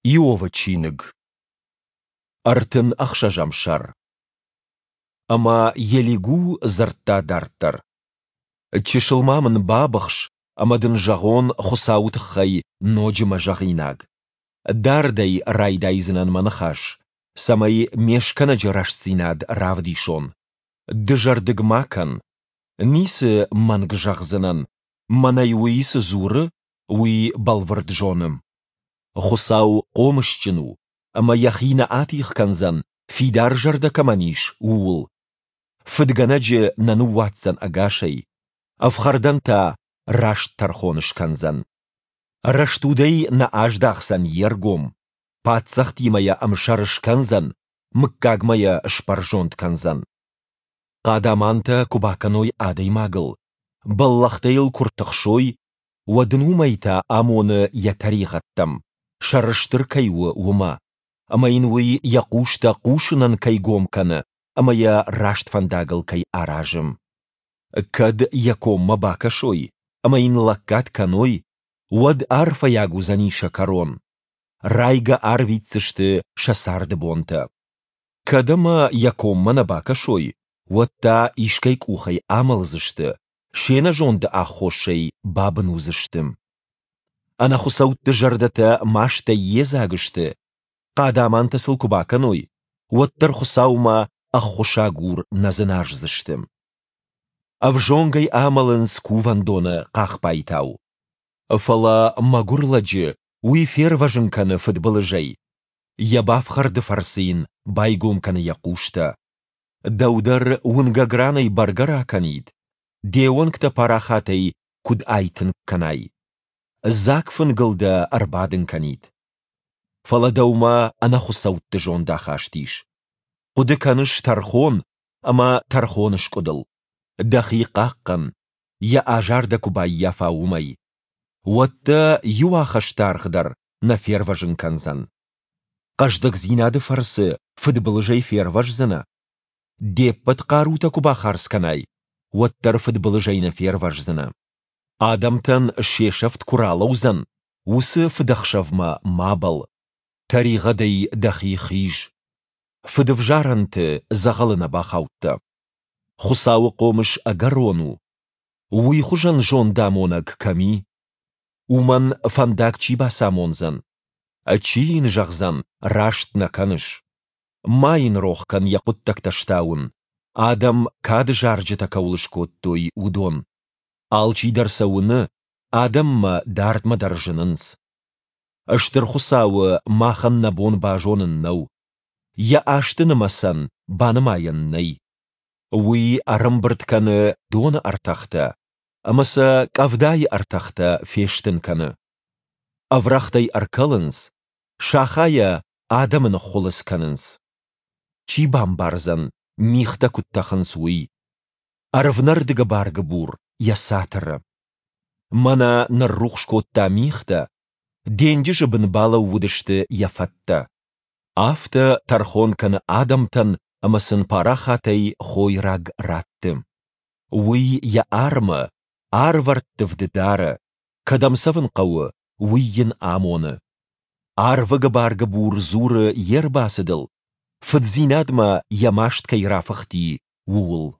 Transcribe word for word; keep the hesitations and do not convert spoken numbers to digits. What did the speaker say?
Иовы чиныг, ӕртын ӕхсӕзӕм сӕр. Ӕмӕ Елигу дзырдта дарддӕр: Чысыл ма мын бабыхс, ӕмӕ дын зӕгъон Хуыцауы тыххӕй ноджы мӕ зӕгъинаг. Дардӕй райдайдзынӕн мӕ ныхас, цӕмӕй ме Скӕнӕджы рӕстдзинад равдисон. Дызӕрдыг ма кӕн, ницы мӕнг зӕгъдзынӕн, мӕнӕй уый цы дзуры, уый бӕлвырд зоны. Хуыцау хъомысджын у, ӕмӕ йӕхи нӕ атигъ кӕндзӕн, фидар зӕрдӕ кӕмӕн ис, ууыл. Фыдгӕнӕджы нӕ ныууадздзӕн ӕгасӕй, ӕфхӕрдӕн та раст тӕрхон скӕндзӕн. Рӕстудӕй нӕ аздахдзӕн йе ргом, паддзӕхтимӕ йӕ ӕмсӕр скӕндзӕн, мыггагмӕ йӕ сбӕрзонд кӕндзӕн. Хъадамантӕ куы бакӕной адӕймагыл, бӕллӕхтӕ йыл куы ртыхсой, уӕд ын уымӕй та амоны йӕ тӕригъӕдтӕм, сӕрыстыр кӕй у, уымӕ, ӕмӕ йын уый йӕ хъустӕ хъусынӕн кӕй гом кӕны ӕмӕ йӕ раст фӕндагыл кӕй аразы. Кӕд йӕ коммӕ бакӕсой ӕмӕ йын лӕггад кӕной, уӕд арфӕйаг уыдзӕни сӕ кӕрон, райгӕ арвитдзысты сӕ царды бонтӕ. Кӕд ӕмӕ йӕ коммӕ нӕ бакӕсой, уӕд та искӕй къухӕй амӕлдзысты, се нӕзонды аххосӕй бабын уыдзысты. Ӕнӕхуыцӕутты зӕрдӕтӕ мастӕй йедзаг сты, хъадамантӕ сыл куы бакӕной, уӕддӕр Хуыцаумӕ ӕххуысагур нӕ дзыназдзысты. Ӕвзонгӕй амӕлынц кувӕндоны хъахбайтау. Фӕлӕ мӕгуыр лӕджы уый фервӕзын кӕны фыдбылызӕй, йӕ бафхӕрды фӕрцы йын байгом кӕны йӕ хъустӕ. Дӕу дӕр уынгӕг ранӕй бӕргӕ ракӕнид, де уӕнгтӕ парахатӕй куыд айтынг кӕнай. Дзаг фынгыл дӕ ӕрбадын кӕнид. Фӕлӕ дӕумӕ ӕнӕхуыцӕутты зондахаст ис. Хъуыды кӕныс тӕрхон ӕмӕ тӕрхоныскъуыдыл. Дӕхи хъахъхъӕн, йӕ азар дӕ куы баййафа, уымӕй. Уӕд дӕ иу ахӕстаргъ дӕр нӕ фервӕзын кӕндзӕн. Хъӕздыгдзинады фӕрцы фыдбылызӕй фервӕздзынӕ? Де ппӕт хъарутӕ куы бахардз кӕнай, уӕддӕр фыдбылызӕй нӕ фервӕздзынӕ. Адӕмтӕн се сӕфт куы ралӕудзӕн, уыцы фыдӕхсӕвмӕ ма бӕлл. Тӕригъӕдӕй дӕхи хиз. Фыдӕвзарӕнты дзӕгъӕлы нӕ бахаудтӕ. Хуыцауы хъомыс ӕгӕрон у. Уый хуызӕн зондамонӕг кӕм и? Уымӕн фӕндаг чи бацамондзӕн? Чи йын зӕгъдзӕн, раст нӕ кӕныс? Ма йын рох кӕн йӕ хъуыддӕгтӕ стауын, адӕм кады зарджытӕ кӕуыл скодтой, уыдон. Алчидӕр сӕ уыны, адӕммӕ дардмӕ дӕр зынынц. Стыр Хуыцауы махӕн нӕ бон базонын нӕу. Йӕ азты нымӕцӕн банымайӕн нӕй. Уый ӕрӕмбырд кӕны доны ӕртӕхтӕ ӕмӕ сӕ къӕвдайы ӕртӕхтӕ фестын кӕны. Ӕврӕгътӕй ӕркӕлынц, сахайӕ адӕмы ныххуылыдз кӕнынц. Чи бамбардзӕн, мигътӕ куыд тӕхынц, уый? Ӕрвнӕрды гыбар-гыбур йӕ цатыры. Мӕнӕ ныррухс кодта мигътӕ, денджызы бын балӕууыдысты йӕ фӕттӕ. Афтӕ тӕрхон кӕны адӕмтӕн ӕмӕ сын парахатӕй хойраг ратты. Уый йӕ армы арвӕрттывд дары, кӕдӕм цӕвын хъӕуы, уый йын амоны. Арвы гыбар-гыбур дзуры йе рбацыдыл, фыддзинадмӕ йӕ маст кӕй рафыхти, ууыл.